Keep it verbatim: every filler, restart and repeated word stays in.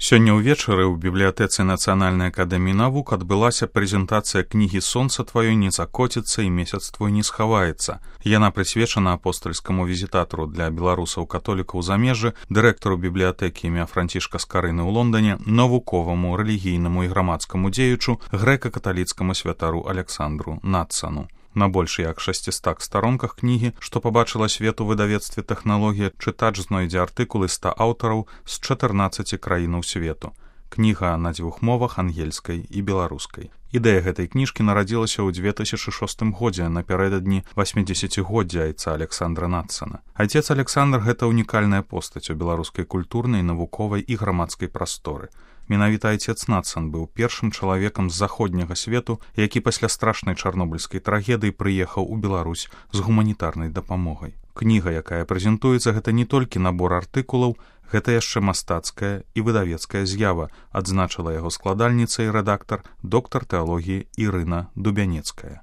Сёння ўвечары ў бібліятэцы Нацыянальнай акадэміі навук адбылася прэзентацыя кнігі «Сонца тваё не закоціцца і месяц твой не схаваецца». Яна прысвечана апостальскаму візітатару для беларусаў-католікаў у замежжы, дырэктару бібліятэкі імя Францішка Скарыны ў Лондане, навуковаму, рэлігійнаму і грамадскаму дзеячу, грэка-каталіцкаму святару Аляксандру Надсану. На больш як шасцістах старонках кнігі, што пабачыла свет у выдавецтве «Тэхналогія», чытач знойдзе артыкулы ста аўтараў з чатырнаццаці краінаў свету. Кніга на дзвюх мовах, ангельскай і беларускай. Ідэя гэтай кніжкі нарадзілася ў дзве тысячы шостым годзе напярэдадні васьмідзесяцігоддзя айца Аляксандра Надсана. Айцец Аляксандр — гэта унікальная постаць у беларускай культурнай, навуковай і грамадскай прасторы. Менавіта айцец Надсан быў першым чалавекам з заходняга свету, які пасля страшнай чарнобыльскай трагедыі прыехаў у Беларусь з гуманітарнай дапамогай. Кніга, якая прэзентуецца, гэта не толькі набор артыкулаў, гэта яшчэ мастацкая і выдавецкая з'ява, адзначыла яго складальніца і рэдактар, доктар тэалогіі Ірына Дубянецкая.